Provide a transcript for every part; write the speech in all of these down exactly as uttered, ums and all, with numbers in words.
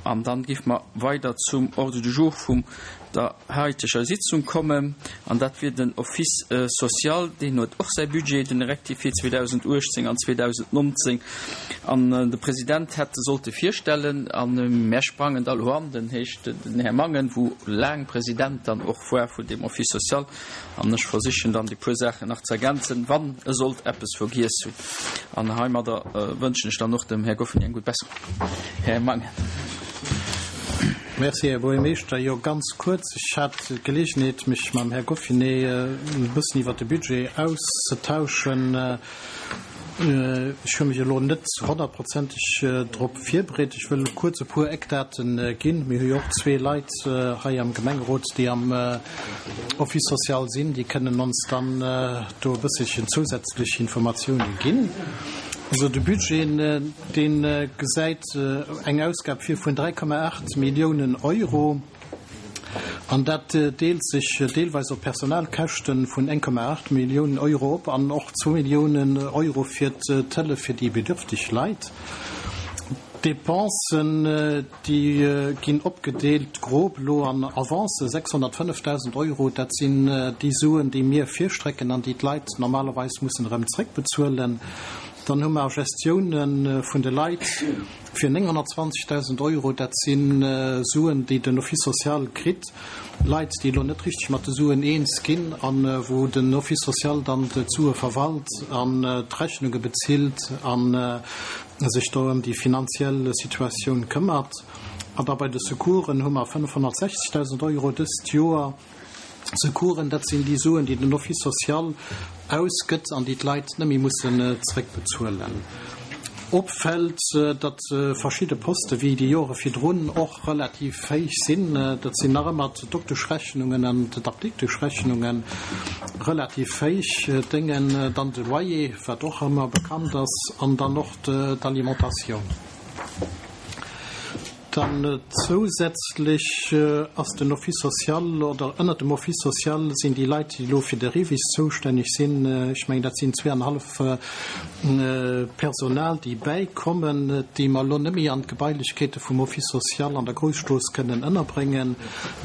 An dann géife mer weider zum Ordre du jour vum der haiteger Sitzung kommen. An dat wier den Office social, deen huet och säi Budget, den rectifié zweedausenduechtzéng an zweedausendnonzéng. An de President hätt e sollte virstellen. A mär sprangen da elo an, den heescht den Här Mangen, wou laang President dann och war vun deem Office social. An ech versichen dann déi puer Saachen nach ze ergänzen, wann e sollt eppes vergiess hunn. An heimadder wënschen ech dann och dem Här Goffeny eng gutt Besserung. Här Mangen. Merci, Här Buergermeeschter. Jo, ganz kuerz, Ech hat d'Geleegenheet, mech mam Här Goffinet e bëssen iwwert de Budget auszetauschen. Ech hu mech elo net honnertprozenteg drop virbereet. Ech wëll kuerz e puer Eckdate ginn. Mir hu jo och zwee Leit hei am Gemengerot, déi am Office social sinn. Déi kënnen ons dann do e bësselchen zousätzlech Informatiounen ginn. Also de Budget, dee gesäit eng Ausgab vir vun dräi Komma aacht Milliounen Euro. An dat deelt sech deelweis op Personalkäschte vun eng Komma aacht Milliounen Euro op an och zwou Milliounen Euro fir d'Hëllef fir déi bedürfteg Leit. D'Depensen, déi ginn opgedeelt grob elo an Avancen, sechshonnertfënnefdausend Euro, dat sinn déi Suen, déi mir virstrecken an déi d'Leit normalerweis mussen erëm zréckbezuelen. Dann hu mer Gestioune vun de Leit fir nénghonnertzwanzegdausend Euro, dat si Suen, déi den Office social kritt, Leit, déi elo net richteg mat de Suen eens ginn a wou den Office social dann d'Sue verwalt an d'Rechnunge bezilt a sech do ëm déi finanziell Situatioun këmmert. An da bei de Secoursen hu mer fënnefhonnertsechzegdausend Euro dëst Joer. Secoursen, dat sinn déi Suen, déi den Office social ausgëtt an déi d'Leit net méi mussen zréckbezuelen. Opfält, datt verschidde Poste wéi déi Jore virdrun och relativ héich sinn. Dat sinn nach ëmmer d'Dokteschrechnungen an d'Apdikteschrechnunge relativ héich Déngen, dann de Loyer, wat och ëmmer bekannt ass, an dann och d'Alimentatioun. Dann zousätzlech ass den Office social, oder ënnert dem Office social sinn déi Leit, déi elo fir de REVIS zoustänneg sinn, ech mengen dat sinn zweeanenhallef Personal, déi bäikommen, déi mer elo net méi an d'Gebailechkeete vum Office social an der Grousstrooss kënnen ënnerbréngen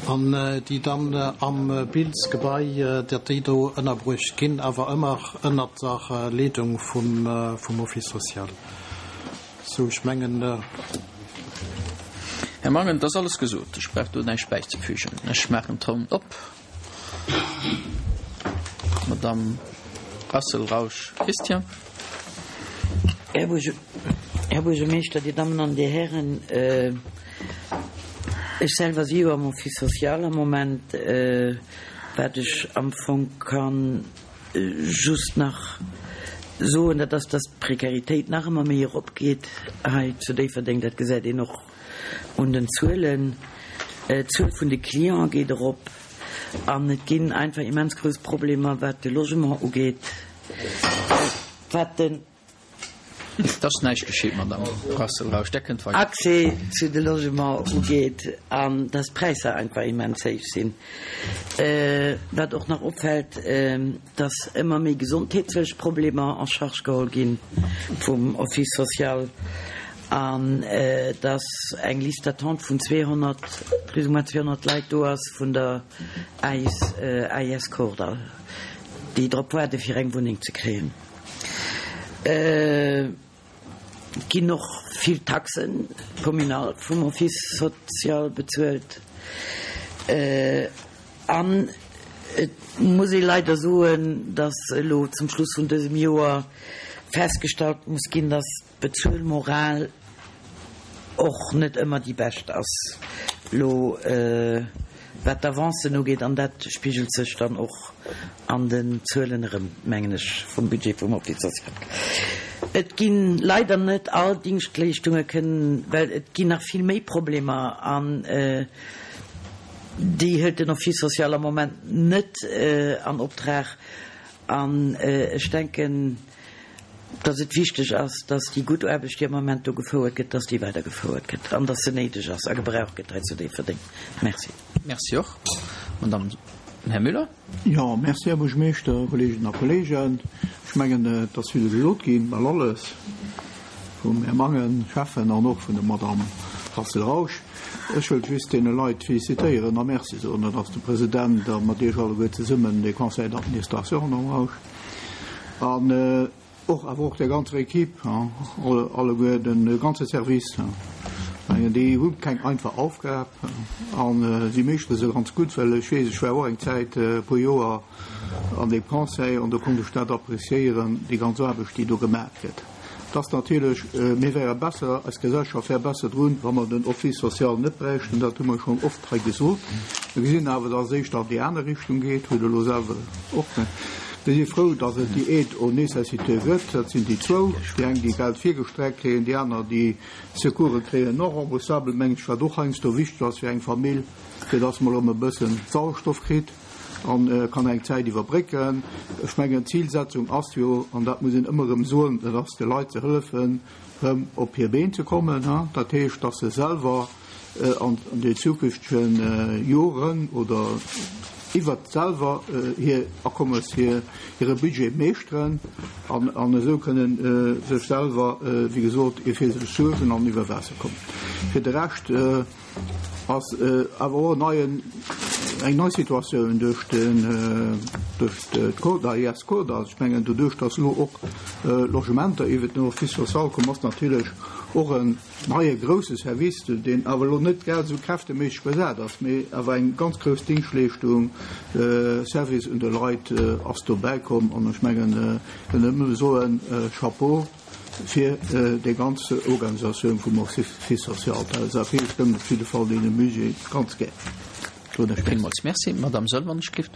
an déi dann am Bilsgebai, datt déi do ënnerbruecht ginn, awer ëmmer ënnert der Leedung vum Office social. Sou, ech mengen. Här Mangen, et ass alles gesot. Ech brauch do näischt bäizefügen. Ech maachen d'Ronn op. Madamm Rassel-Rausch Christian. Här Buergermeeschter, Dir Dammen an Dir Hären, ech selwer si jo am Office social am Moment, wat ech am Fong kann just nach soen, dat ass, dass d'Prekaritéit nach ëmmer méi eropgeet hei zu Déifferdeng. Dat gesäit een och un den Zuelen. D'Zuel vun de Cliente geet erop an et ginn einfach immens grouss Problemer, wat de Logement ugeet, wat den. Et ass näischt geschitt, Madamm Brassel-Rausch. Der kënnt weider. Accès zu de Logement ugeet an dass d'Präisser einfach immens héich sinn. Wat och nach opfält, dass ëmmer méi gesondheetlech Problemer en charge geholl gi vum Office social an dass eng Liste d'attente vun zweehonnert, plus ou moins zweehonnert Leit do ass vun der A I S Kordall, déi drop waarde fir eng Wunneng ze kréien. Et ginn och vill Taxen communal vum Office social bezuelt. An et muss ee leider soen, dass elo zum Schluss vun dësem Joer festgestallt muss ginn, dass d'Bezuelmoral och net ëmmer déi bescht ass, elo wat d'Avancen ugeet, an dat spigelt sech dann och an den Zuelen erëm, mengen ech, vum Budget vum Office social. Et gi leider net all Dingschtleeschtunge kënnen, well et ginn nach vill méi Problemer an déi hëlt den Office social am Moment net an Optrag. An ech denken, dass et wichteg ass, dass déi gutt Aarbecht, déi am Moment do gefouert gëtt, dass déi weidergefouert gëtt an dass se néideg ass a gebraucht gëtt hei zu Déifferdeng. Merci. Merci och. Madame, Här Müller. Jo, merci, Här Buergermeeschter, Kolleeginnen a Kolleegen. Ech mengen, et ass vill gesot ginn, bal alles, vum Här Mangen, Schäffen, an och vun der Madame Rassel-Rausch. Ech wëll just deene Leit felicitéieren a Merci soen, dat ass de President a mat Iech alleguer zesummen, de Conseil d'administration am Haus an och awer och der ganzer Equipe, alleguer de ganze Service. Mengen, déi hu keng einfach Aufgab an si meeschtere se ganz gutt, well ech weess, ech war och eng Zäit, e puer Joer an deem Conseil an do konnt ech dat appréciéieren, déi ganz Aarbecht, déi do gemaach gëtt. Et ass natierlech, mir wäre besser, eis Gesellschaft wär besser drun, wa mer den Office social net bräichten, dat hu mer schonn oft hei gesot. Mir gesinn awer, dass et éischter an déi aner Richtung geet, hutt Der elo selwer och. Mir si frou, dass et déi Aide aux nécessiteux gëtt. Dat sinn déi zwou, déi eng, déi Geld virgestreckt kréien, déi aner, déi Secourse kréien, non remboursable, meng ech, wat och heiansdo wichteg ass fir eng Famill, fir dass mol erëm e bëssen Sauerstoff kritt an kann eng Zäit iwwerbrécken. Ech mengen, d'Zilsetzung ass jo, an dat muss een ëmmer erëm soen, dat ass de Leit ze hëllefen, erëm op hir Been ze kommen. Dat heescht, dass se selwer an den zukünftege Joren oder iwwert selwer hir Akommes, hire Budget meeschteren an esou kënnen sech selwer, wéi gesot, fir sech suergen an iwwer Waasser kommen. Fir de Rescht ass awer och en neien, eng nei Situatioun duerch den, duerch d'CODA, I S CODA. Ech mengen, doduerch dass elo och Logementer iwwert den Office social kommen, ass natierlech och en neie grousse Service, deen awer elo net grad esou kräfteméisseg besat ass, mee awer eng ganz grouss Dingschtleeschtung, Service un de Leit ass dobäi komm. An ech mengen, kënn nëmme soen, Chapeau fir déi ganz Organisatioun vum Office social. D'L S A P stëmmt op jidde Fall deene Budget ganz gär. Villmools merci. Madame Sölvanschlift.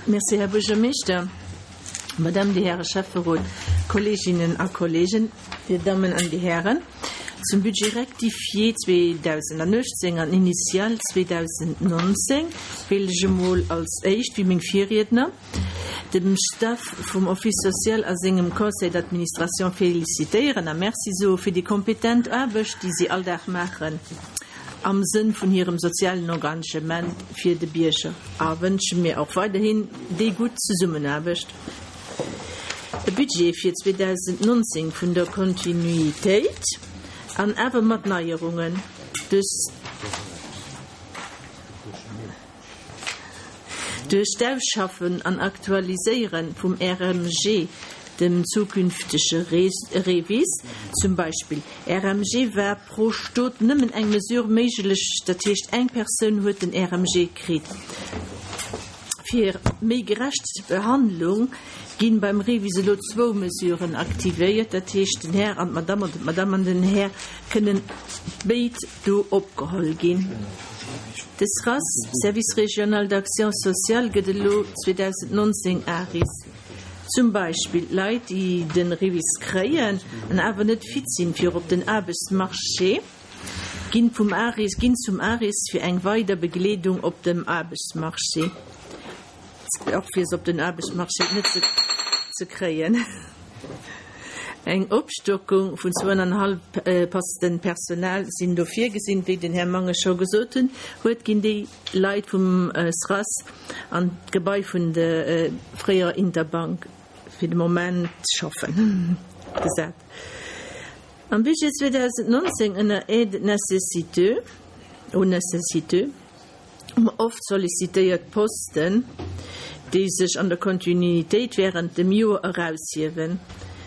Merci, Här Buergermeeschter, Madame, déi Häre Schäfferot, Kolleeginnen a Kolleegen, Dir Dammen an Dir Hären. Zum Budget rectifié zweedausendachtzéng an initial zweedausendnonzéng wéilt ech emol als éischt, wéi meng Virriedner, dem Staff vum Office social a sengem Conseil d'administration felicitéieren a Merci soe fir déi kompetent Aarbecht, déi si all Dag maachen am Sënn vun hirem sozialen Engagement fir de Bierger, a wënsche mir och weiderhin déi gutt Zesummenaarbecht. E Budget fir zweedausendnonzéng vun der Kontinuitéit an awer mat Neierungen. Duerch duerch d'Ausschaffen an Aktualiséiere vum R M G, dem zukünftege REVIS. Zum Beispill R M G war pro Stot nëmmen eng Mesure méiglech, dat heescht eng Persoun huet den R M G kritt. Fir méi gerecht Behandlung ginn beim REVIS elo zwou Mesuren aktivéiert, dat heescht den Här an d'Madame oder d'Madame an den Här kënnen béid do opgeholl ginn. De SRAS, Service régional d'action sociale, gëtt elo zweedausendnonzéng ARIS. Zum Beispill Leit, déi den REVIS kréien an awer net fit sinn fir op den Aarbechtsmarché, ginn vum ARIS, ginn zum ARIS fir eng weider Begleedung op dem Aarbechtsmarché, och fir se op den Aarbechtsmarché net ze, ze kréien. Eng Opstockung vun zwouanenhallef Posten Personal sinn do virgesinn, wéi den Här Mangen scho gesot hunn, huet, ginn déi Leit vum SRAS an d'Gebai vun der fréierer Interbank fir de Moment schaffen gesat. Am Budget zweedausendnonzéng ënner Aide nécessiteux, aux nécessiteux, oft sollicitéiert Posten, déi sech an der Kontinuitéit während dem Joer eraushiewen.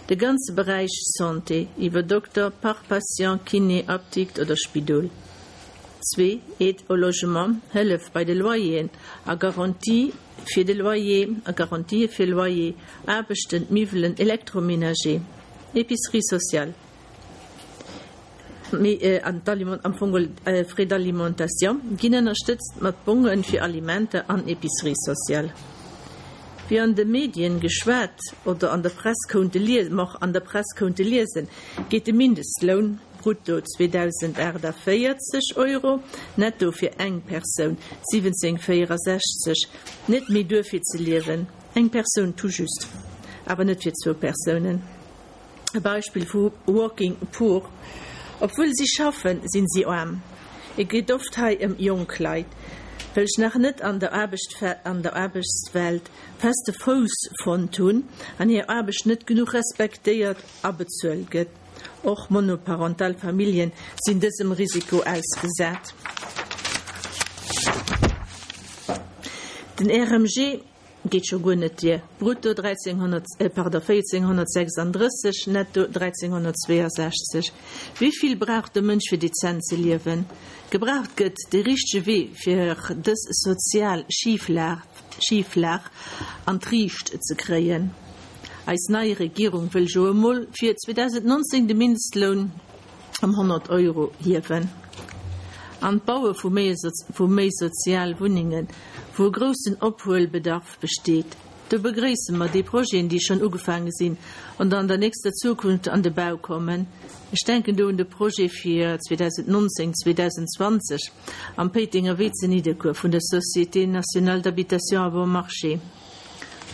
De ganze Beräich Santé iwwer Dokter, Park Patient, Kiné, Apdikt oder Spidol. Zwee Aide au logement, Hëllef bei de Loyeren a Garantie fir de Loyer, a Garantië fir Loyer, Aarbechten, Miwwelen, Électroménager, Épicerie sociale. Mee an am Fong Frais d'alimentation ginn ënnerstëtzt mat Bonge fir Alimenter an Épicerie sociale. Wéi an de Medien geschwat oder an der Press konnte liesen, an der Press konnte liesen, geet de Mindestloun brutto zweedausendachtavéierzeg Euro, netto fir eng Persoun siwwenzéng véierasechzeg, net méi duer fir ze liewen, eng Persoun tout juste, awer net fir zwou Persounen. E Beispill vu Working Poor: Obwuel si schaffen, sinn si aarm. Et geet oft hei ëm jonk Leit, welch nach net an der Aarbecht an der Aarbechtswelt feste Fouss fonnt hunn an hir Aarbecht net genuch respektéiert a bezuelt gëtt. Och monoparental Familljen sinn dësem Risiko ausgesat. Den R M G geet scho guer net duer, brutto dräizénghonnert, pardon, véierzénghonnertsechsandrësseg, netto dräizénghonnertzweeasechzeg. Wéi vill brauch de Mënsch fir dezent ze liewen? Gebraucht gëtt de richtege Wee fir dës sozial Schiflag, Schiflag an d'Riicht ze kréien. Eis nei Regierung wëll jo emol fir zweedausendnonzéng de Mindestloun ëm honnert Euro hiewen. An d'Baue vu méi vu méi sozial Wunnengen, wou e groussen Ophuelbedarf besteet. Do begréisse mer déi Projeten, déi schonn ugefaange sinn an an der nächster Zukunft an de Bau kommen. Ech denken do un de Projet fir zweedausendnonzéng, zweedausendzwanzeg am Péitenger Wee zu Nidderkuer vun der Société nationale d'habitation à bon marché.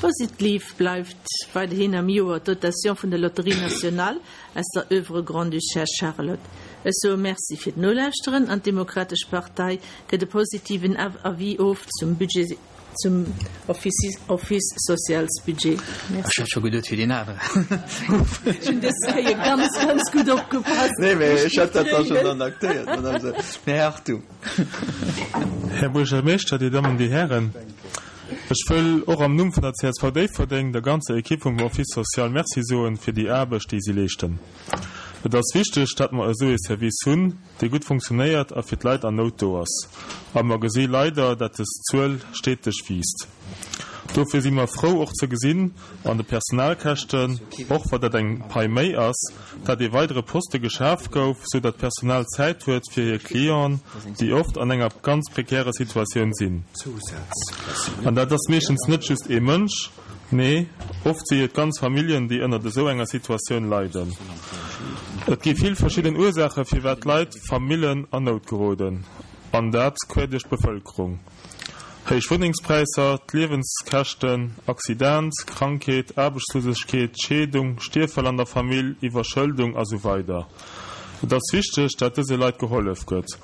Positiv bleift weiderhin am Joer d'Dotation vun der Loterie nationale aus der Œuvre Grande-Duchesse Charlotte. Ech soe Merci fir d'Nolauschteren an d'Demokratesch Partei gëtt e positiven Avis of zum Budget, zum Office, Office Socialsbudget. Ech hat scho geduet fir deen aneren. Ech hunn dës Kéier ganz, ganz gutt opgepasst. Nee, mee ech hat dat da schonn dann aktéiert, Madame Här Hartung. Här Buergermeeschter, Dir Dammen, Dir Hären, ech wëll och am Numm vun der C S V Déifferdeng der ganzer Ekipp vum Office social Merci soen fir déi Aarbecht, déi si leeschten. Et ass wichteg, datt mer esou ee Service hunn, dee gutt funktionéiert a fir d'Leit an Nout do ass. A mer gesi leider, datt des Zuel steteg wiisst. Dofir si mer frou och ze gesinn an de Personalkäschten, och wa dat eng Pai méi ass, datt ee weidere Poste geschaf gouf, sou datt d'Personal Zäit huet fir hir Clienten, déi oft an enger ganz prekärer Situatioun sinn. An dat ass meeschtens net just ee Mënsch, nee, oft si et ganz Familljen, déi ënnert esou enger Situatioun leiden. Et gi vill verschidden Ursaache firwat Leit, Famillen an Nout geroden, an dat quer duerch d'Bevëlkerung. Héich Wunnengspräisser, d'Liewenskäschten, Accident, Krankheet, Aarbechtslosegkeet, Scheedung, Stierffäll an der Famill, Iwwerschëldung a sou weider. Et ass wichteg, dat dëse Leit gehollef gëtt.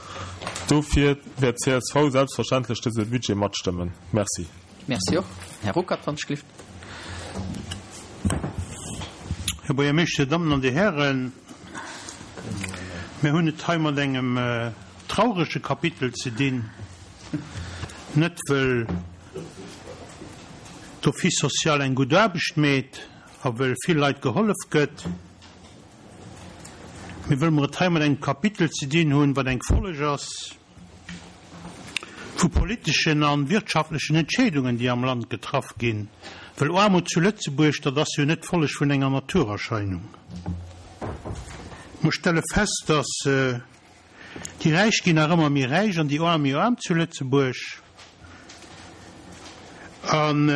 Dofir wäert d'C S V selbstverständlech dëse Budget matstëmmen. Merci. Merci och. Här Ruckert, wann ech gelift. Här Buergermeeschter, Dir Dammen an Dir Hären, mir hunn et hei mat engem traurege Kapitel ze dinn, net wëll d'Office social eng gutt Aarbecht mécht a wëll vill Leit gehollef gëtt, mee wëll mer et hei mat engem Kapitel ze dinn hunn, wat eng Folleg ass vu politeschen a wirtschaftlechen Entscheedungen, déi am Land getraff ginn. Well Aarmut zu Lëtzebuerg, dat ass jo net d'Folleg vun enger Naturerscheinung. Mer stelle fest, dass déi Räich ginn nach ëmmer méi räich an déi Aarm méi aarm zu Lëtzebuerg. An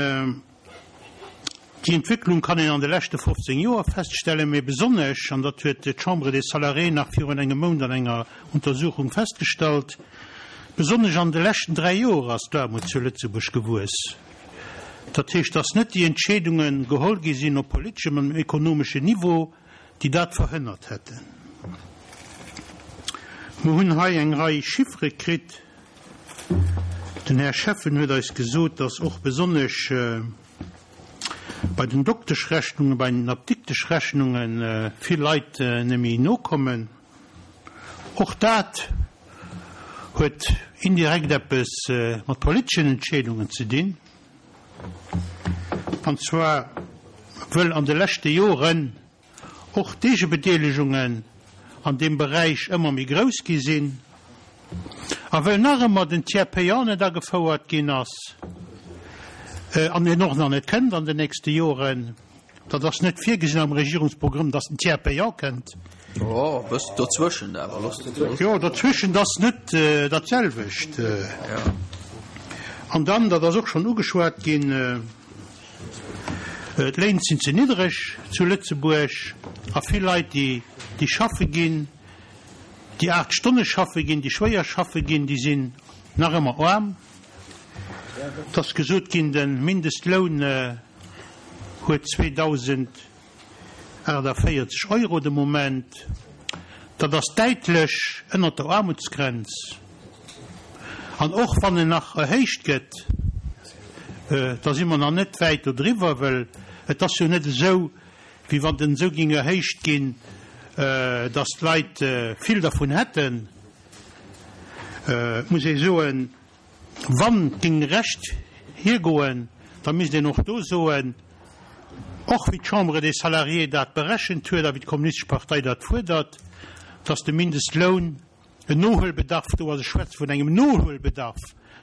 déi Entwécklung kann een an de leschte fofzéng Joer feststellen, mee besonnesch, an dat huet d'Chambre des Salariés nach virun engem Mount an enger Untersuchung festgestallt, besonnesch an de leschten dräi Joer ass d'Aarmut zu Lëtzebuerg gewuess. Dat heescht, dass net déi Entscheedunge geholl gi sinn op politeschem an ekonomeschem Niveau, déi dat verhënnert hätten. Mer hunn hei eng Rei Chiffere kritt. Den Här Schäffen huet eis gesot, dass och besonnesch bei den Dokteschrechnungen, bei den Apdikteschrechnunge vill Leit net méi nokommen. Och dat huet indirekt eppes mat politeschen Entscheedungen ze dinn. An zwar wëll an de leschte Joren och d'Eegebedeelegungen an deem Beräich ëmmer méi grouss gi sinn a wëll nach ëmmer den Tiers payant net agefouert ginn ass an en och nach net kënnt an den nächste Joren. Dat ass net virgesinn am Regierungsprogramm, dass den Tiers payant kënnt. Oh, bëss dozwëschen awer, looss dat. Jo, dozwëschen, dat ass net dat selwecht. An dann, dat ass och schonn ugeschwat ginn, d'Léin sinn ze niddreg zu Lëtzebuerg a vill Leit, déi déi schaffe ginn, déi aacht Stonne schaffe ginn, déi schwéier schaffe ginn, déi sinn nach ëmmer aarm. Et ass gesot ginn, de Mindestloun huet zweedausendachtavéierzeg Euro de Moment. Dat ass däitlech ënnert der Aarmutsgrenz. An och wann en nach erhéicht gëtt, da si mer nach net wäit dodriwwer, well et ass jo net esou, wéi wann den esou géing erhéicht ginn, datt d'Leit vill dervun hätten, muss ee soen, wann et géing recht hiergoen, da misst een och do soen, och wéi d'Chambre des Salariés dat berechent huet a wéi d'Kommunistesch Partei dat fuerdert, datt de Mindestloun en Nohuelbedarf do ass, ech schwätze vun engem Nohuelbedarf,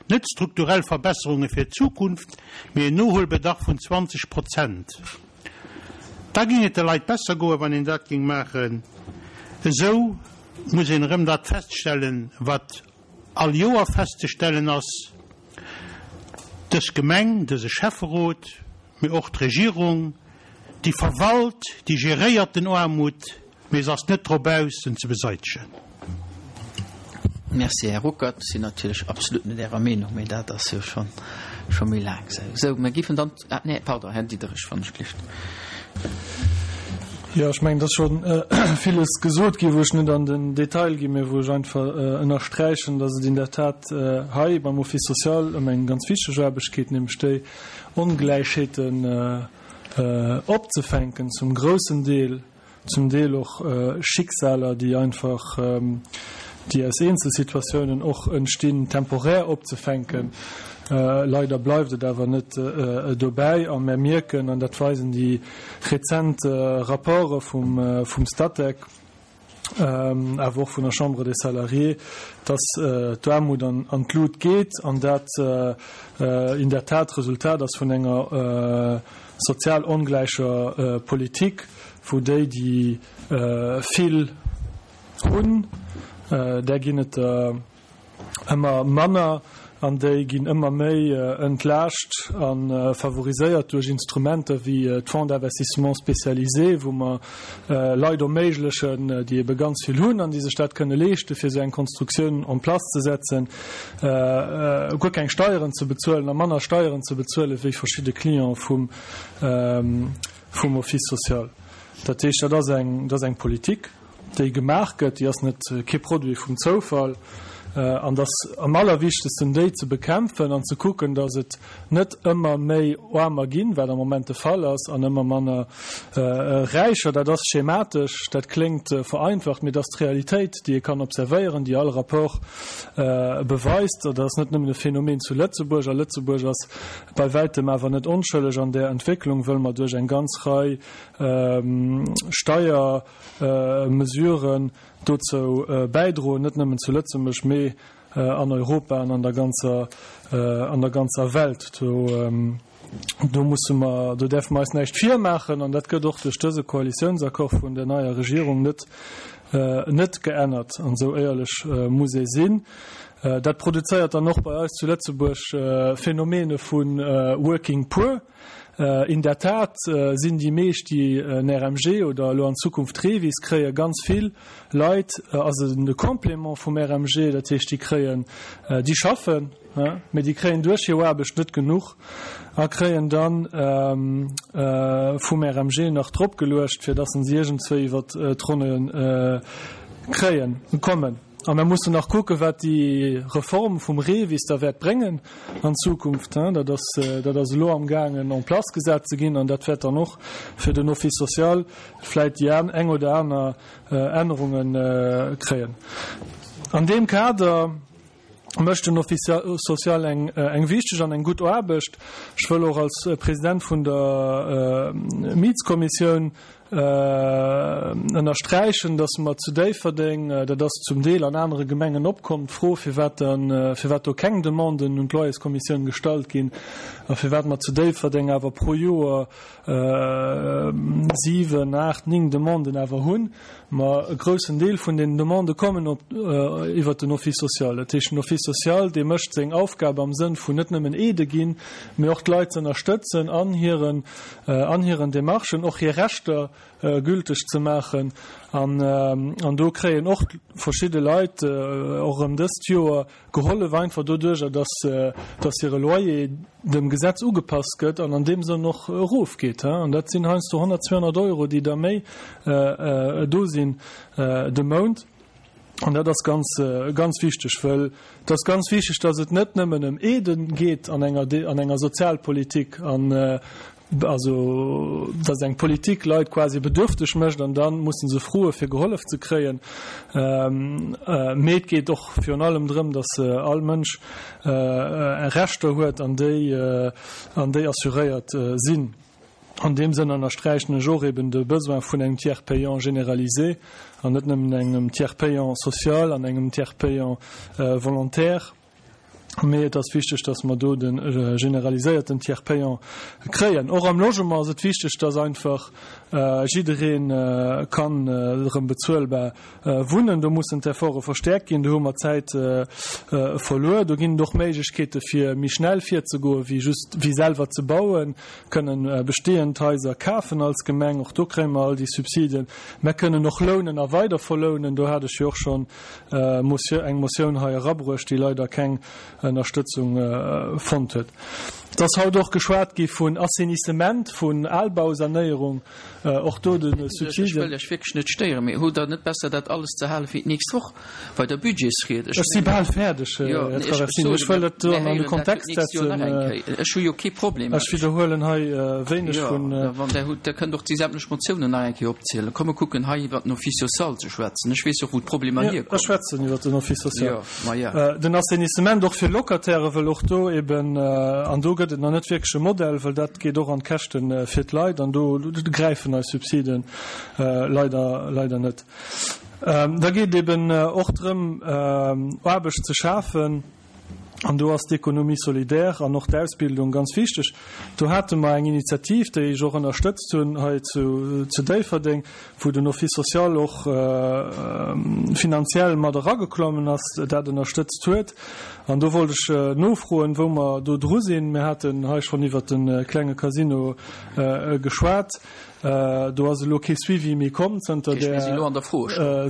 net strukturell Verbesserunge fir d'Zukunft, mee en Nohuelbedarf vun zwanzeg Prozent. Da géing et de Leit besser goen, wann een dat géing maachen. Esou muss een erëm dat feststellen, wat all Joer festzestellen ass, Dës Gemeng, dëse Schäfferot, mee och d'Regierung, déi verwalt, déi geréiert den Aarmut, mee se ass net drop aus, en ze beseitegen. Merci, Här Ruckert. Ech sinn natierlech absolut net Ärer Meenung, mee dat ass jo scho scho méi laang esou. Sou, mir géifen dann, ah, nee, pardon, Här Diderich, wann ech gelift. Jo, ech mengen, et ass scho villes gesot ginn, wou ech net an den Detail ginn, mä wou ech einfach ënnersträichen, dass et in der Tat hei beim Office social ëm eng ganz wichteg Aarbecht geet, nämlech déi Ongläichheeten opzefänken zum groussen Deel, zum Deel och Schicksaler, déi einfach, déi aus Eenzelsituatiounen och entstinn, temporär opzefänken. Leider bleift et awer net dobäi a mär mierken, an dat weisen déi rezent Rapporte vum Statec, awer och vun der Chambre des Salariés, dass d'Aarmut an d'Lut geet an dat in der Tat d'Resultat ass vun enger sozial ongläicher Politik, wou déi, déi vill hunn, där ginn et der ëmmer manner an déi ginn ëmmer méi entlaascht a favoriséiert duerch Instrumenter wéi d'Fonds d'investissement spécialisé, wou mer Leit erméiglechen, déi ebe ganz vill hunn an déi sech dat kënne leeschten, fir esou eng Konstruktioun en place ze setzen, guer keng Steieren ze bezuelen a manner Steieren ze bezuelen wéi verschidde Clientë vum Office social. Dat heescht, dat ass eng, dat ass eng Politik, déi gemaach gëtt, déi ass net kee Produit vum Zoufall, an et ass am allerwichtegsten, déi ze bekämpfen an ze kucken, datt et net ëmmer méi Aarmer ginn, wat am Moment de Fall ass, an ëmmer manner Räicher. Dat ass schematesch, dat kléngt vereinfacht, mee dat ass d'Realitéit, déi ee kann observéieren, déi all Rapport beweist. Dat ass net nëmmen e Phänomen zu Lëtzebuerg, a Lëtzebuerg ass bei wäitem awer net onschëlleg an där Entwécklung, wëll mer duerch eng ganz Rei Steiermesuren dozou bäidroen, net nëmmen zu Lëtzebuerg, mee an Europa an an der ganzer, an der ganzer Welt. Do, do musse mer, do däerfe mer eis näischt virmaachen an dat gëtt och duerch dëse Koalitiounsaccord vun der neier Regierung net, net geännert. An esou éierlech muss ee sinn. Dat produzéiert dann och bei eis zu Lëtzebuerg Phänomene vu Working Poor. In der Tat sinn déi meescht, déi en R M G oder elo an Zukunft Revis kréien, ganz vill Leit, ass et de Complément vum R M G, dat heescht, déi kréien, déi schaffen, mee déi kréien duerch hir Aarbecht net genuch a kréien dann vum R M G nach dropgeluecht, fir dass se iergendzwéi iwwer d'Ronne kréien, kommen. A mir mussen nach kucken, wat déi Reform vum REVIS da wäert bréngen an Zukunft. Dat ass, dat ass elo amgaangen en place gesat ze ginn an dat wäert dann och fir den Office social vläicht déi eng oder aner Ännerunge kréien. An deem Kader mécht den Office social eng, eng wichteg an eng gutt Aarbecht. Ech wëll och als President vun der Mietskommissioun ënnersträichen, dass mer zu Déifferdeng, dat ass zum Deel an anere Gemengen opkomm, d'Fro, firwat dann, firwat do keng Demanden un d'Loyerskommissioun gestallt ginn a firwat mer zu Déifferdeng awer pro Joer siwen, aacht, néng Demanden awer hunn. Ma e groussen Deel vun den Demandë kommen op, iwwert den Office social. Dat heescht, den Office social, dee mécht seng Aufgab am Sënn vun net nëmmen Aidë ginn, mee och d'Leit ze ënnerstëtzen an hiren, an hiren Demarchen, och hir Rechter gülteg ze maachen. An, an do kréien och verschidde Leit och erëm dëst Joer gehollef, einfach doduercher, dass, dass hire Loyer dem Gesetz ugepasst gëtt an an deem Sënn och erofgeet. An dat sinn heiansdo honnert, zweehonnert Euro, déi da méi do sinn de Mount. An dat ass ganz, ganz wichteg, wëll et ass ganz wichteg, dass et net nëmmen ëm Aiden geet an enger, an enger Sozialpolitik. An also dass eng Politik Leit quasi bedürfteg mécht an dann mussen se froe fir gehollef ze kréien. Ähm, äh, mee et geet och virun allem drëm, dass äh, all Mënsch äh, Rechter huet an déi äh, an déi assuréiert äh, sinn. An deem Sënn ënnersträichen ech och eben de Besoin vun engem Tiers payant généralisé an net nëmmen engem Tiers payant social an engem Tiers payant äh, volontaire. Mee et ass wichteg, dass mer do de äh, generaliséierten Tiers payant kréien. Och am Logement ass et wichteg, dass einfach äh, jiddereen äh, kann äh, erëm bezuelbar äh, wunnen. Do mussen d'Efforte verstäerkt ginn, do hu mer Zäit äh, äh, verluer. Do ginn et och Méiglechkeete fir méi schnell virzegoen, wéi just wéi selwer ze bauen, kënnen äh, bestehend Haiser kafen als Gemeng, och do kréie mer all déi Subsiden. Mer kënnen och lounen a weider verlounen, do hat ech jo och schonn äh, Motioun, eng Motioun hei erabruecht, déi leider keng Ënnerstëtzung äh, fonnt huet. Et ass haut och geschwat gi vun Assainissement, vun Albausanéierung, äh, och do de Ech Subsiden. wëll Iech wierklech net stéieren, mee hutt Der net besser dat alles ze hale fir d'nächst Woch bei der Budgetsried? Ech Ech si bal fäerdeg, Jo, Här nee, ech Traversini. Ech wëll et do mir an de héieren dat Kontext d'nächst Joer nach setzen. eng Kéier. Ech hu jo kee Problem. Ech widderhuelen hei wéineg Jo, vun. wann Der hutt, Der kënnt och déi sämtlech Motiounen nach eng Kéier opzielen. Komm mer kucken hei iwwert den Office social ze schwätzen. Ech weess och wou d'Problemer Jo, hierkommen. ech schwätzen iwwert den Office social. Jo, ma ja. Den Assainissement och fir Locataire, wëll och do eben, an do gëtt et nach net wierklech e Modell, wëll dat geet och an d'Käschte fir d'Leit an do gräifen eis Subsiden leider, leider net. Da geet eben och drëm, Aarbecht ze schafen. An do ass d'Économie solidaire an och d'Ausbildung ganz wichteg. Do hate mer eng Initiativ, déi ech och ënnerstëtzt hunn hei zu, zu Déifferdeng, wou den Office social och finanziell mat erageklommen ass, dat ënnerstëtzt huet. An do wollt ech nofroen, wou mer do dru sinn. Mir haten hei schonn iwwert de klenge Casino geschwat. Do ass elo kee Suivi méi komm zënter där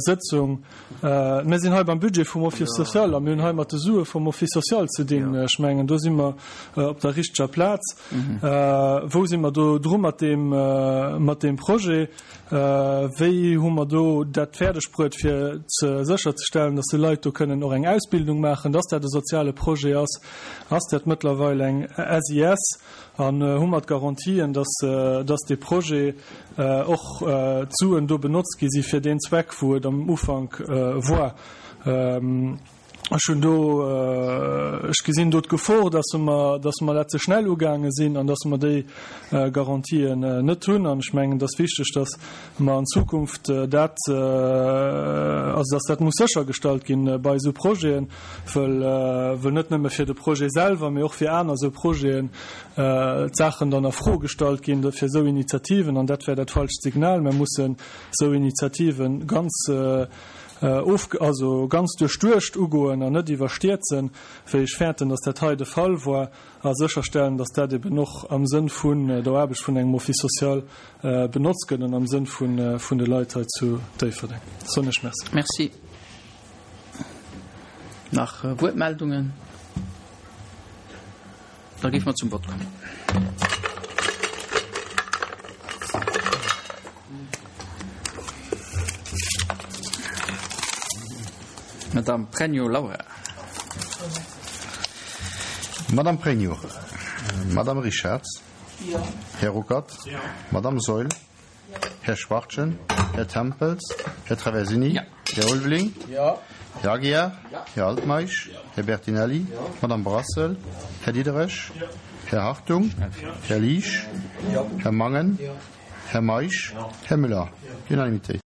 Sëtzung. Mir sinn hei beim Budget vum Office social a mir hunn hei mat de Sue vum Office social ze dinn. Ech mengen, do si mer op der richteger Plaz. Wou si mer do dru mat deem, mat deem Projet? Wéi hu mer do dat fäerdegbruet, fir ze sécherzestellen, dass déi Leit do kënnen och eng Ausbildung maachen, dass dat e soziale Projet ass? Ass dat mëttlerweil eng S I S? An hu mer d'Garantien, dass, dass dee Projet och d'Suen do benotzt gi si fir deen Zweck, wou et am Ufank war? Ech hunn do, ech gesinn do d'Gefor, dass mer, dass mer dat ze schnell ugaange sinn an dass mer déi Garantien net hunn. An ech mengen, et ass wichteg, dass mer an Zukunft dat, also dass dat muss séchergestallt ginn bei esou Projeten, wëll, wëll net nëmme fir de Projet selwer, mee och fir aner esou Projeten d'Saachen dann a Fro gestallt ginn fir esou Initiativen. An dat wär dat falscht Signal. Mer mussen esou Initiativen ganz, of, also ganz duerchduecht ugoen an net iwwerstierzen, wéi ech fäerten, dass dat hei de Fall war, a sécherstellen, dass dat eben och am Sënn vun der Aarbecht vun engem Office social benotzt gëtt an am Sënn vun, vun de Leit hei zu Déifferdeng. Soen ech Merci. Merci. Nach Wuertmeldungen? Da géife mer zum Vott kommen. Madame Pregno Laura. Madame Pregno. Madame Richarz. Jo. Här Ruckert. Jo. Madame Saeul. Jo. Här Schwachtgen. Här Tempels. Här Traversini. Jo. Här Ulveling. Jo. Här Aguiar. Jo. Här Altmeisch. Jo. Här Bertinelli. Jo. Madame Brassel. Här Diderich. Jo. Här Hartung. Jo. Här Liesch. Jo. Här Mangen. Jo. Här Meisch. Jo. Här Müller. Jo. Unanimité.